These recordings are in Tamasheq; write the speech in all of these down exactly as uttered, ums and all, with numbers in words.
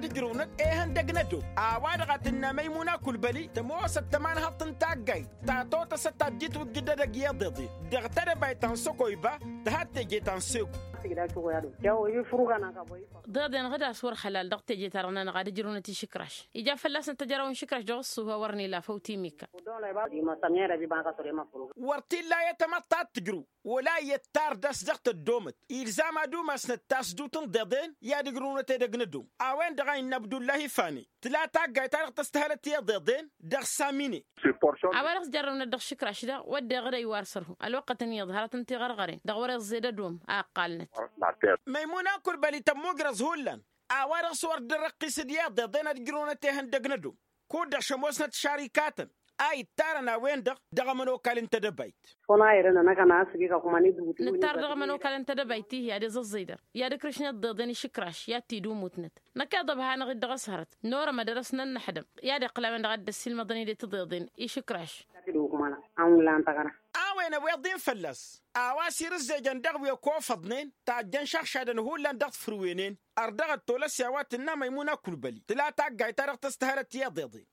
Tǝjrǝwnăt ehăndăg n-ădom a-wa-dăɣ a tǝnnă măymuna kulbăli tămoosăt tămanhăḍt n-taggayt ta totăsăt ta dd-itwǝjjǝd edăgg i-iḍeḍen dăɣ-tedăbayt ta n-săkoyba. Tăhadd teje ta n-segu. Ḍeḍen ɣǝd a-s wăr ăhălal dăɣ-teje-ta-dăɣ-nănăɣ ad-ǝjrǝwnăt išǝkraš ija fălla-snăt tăjraw n-išǝkraš dăɣ-ǝṣṣuh a wăr n-ila făw timikka. Wăr t-illa i-tamăḍt ta t-tǝjrǝw wăla iyyăt tardăs dăɣ-tăddomăt ilzam ad-umasnăt tasdut n-ḍeḍen i-ad-ǝjrǝwnăt edăgg n-ădom. A-wen-dăɣ a innă abdullahi fane tǝla taggayt-ta-dăɣ tăstăhălăt i-iḍeḍen dăɣ-samine. A-wa dăɣ-s jarrăwnăt dăɣ-išǝkraš daɣ wădden ɣǝd a iwar sărhu ălwăqqăt ǝnniyăḍ hărăt n-tiɣărɣăren dăɣ-wăr iẓẓed ădom a ǝqqalnăt. Măymuna n-kulbăli tămmujrăẓ hullan a-wa dăɣ-s wăr dd-ărrăqqisăd i-iḍeḍen ad-ǝjrǝwnăt ihăndăg n-ădom kud-dăɣ šămoosnăt šarikatăn a ittarăn a-wen-dăɣ dăɣ-ămănokal n-tedăbayt. Nǝttar dăɣ-ămănokal n-tedăbayt-ihi ad-iẓǝẓẓǝy dăr i-ad-ikrǝšnăt ḍeḍen išǝkraš i-ad-t-dd-umutnăt năkk iḍăb hanăɣ-dd dăɣ-s hărăt n-orămăd ad-dăr-s nănnăḥdăm i-ad-iqqǝl a-wen-dăɣ ad-dd-ăssiilmăḍăn-dd tăḍeḍen išǝkraš. A-wen ăwweḍ-in fălla-s a-wa s-irǝzzejăn dăɣ-wi ăkofăḍnen tajjăn šăɣšadăn hullan dăɣ-tifrǝwenen. Ărdăɣăt tolăs i-a-wa tǝnna măymuna kulbăli tǝla taggayt-ta-dăɣ tăstăhălăt i-iḍeḍen.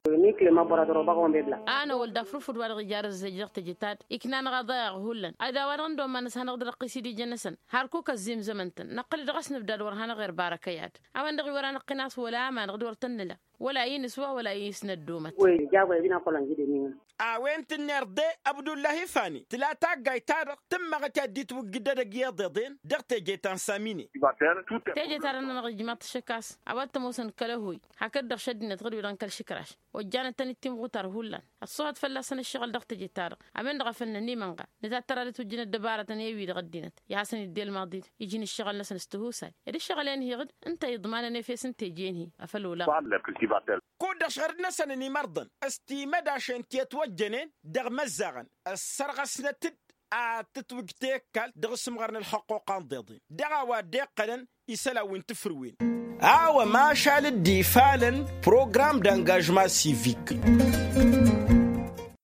A năwăl d-afrufǝd wa dăɣ-ija arǝzzej dăɣ-teje-ta-dd ikna-năɣ aḍayaɣ hullan ad-a-wa-dăɣ n-dd-omman s-hanăɣ-dd-răqqis-dd ijăn-năsăn. Hărkuk ăzzimzămăn-tăn năqqǝl-dd ɣas nǝbdad wăr hanăɣ-irbara kăy-ad a-wen-dăɣ iwăr anăqqin-as wăla amanăɣ-dd wăr tăn-nǝla wăla inǝswa wăla isnăddomăt. A-wen tǝnner de abdullahi fani tǝla taggayt-ta-dăɣ tǝmmăɣăt i-ad-dd-itwǝjjǝd edăgg i-iḍeḍen dăɣ-teje ta n-samine. Teje-ta-dăɣ-nănăɣ ijmaḍ-t ašăk a-s a-wa t-ămoosăn kăl-ăhoy hakd-dăɣ šăddinăt ɣǝd-wi-dăɣ n-kăl-išǝkraš ojjanăt-tăn-dd timɣutar hullan. Ăṣṣuhăt fălla-săn ǝššăɣǝl dăɣ-teje-ta-dăɣ a-wen-dăɣ a făl nănimănɣa nǝtattăr ad-ătwǝjjǝnăt dăbarătăn i-wi-dăɣ ăddinăt i-hasăn-idde ălmaḍi-dd iji n-ǝššăɣǝl-năsăn s-tihusay ed ǝššăɣǝl-en-hi ɣǝd ǝnta iḍmanăn efes n-teje-hi. Afăl olaɣ. Kud-dăɣ šăɣǝd-năsăn ănimărḍăn s-timădašen ti ătwăjjănen dăɣ-imăzzaɣăn ăssărɣăsnăt-dd ad-tǝtwǝj tekkal dăɣ-asǝmɣar n-ălxăqquqa n-iḍeḍen dăɣ-a-wa dd-iqqălăn isălan wi n-tǝfrǝwen. A-wa mašal dd-ifalăn program d-angažma sivik.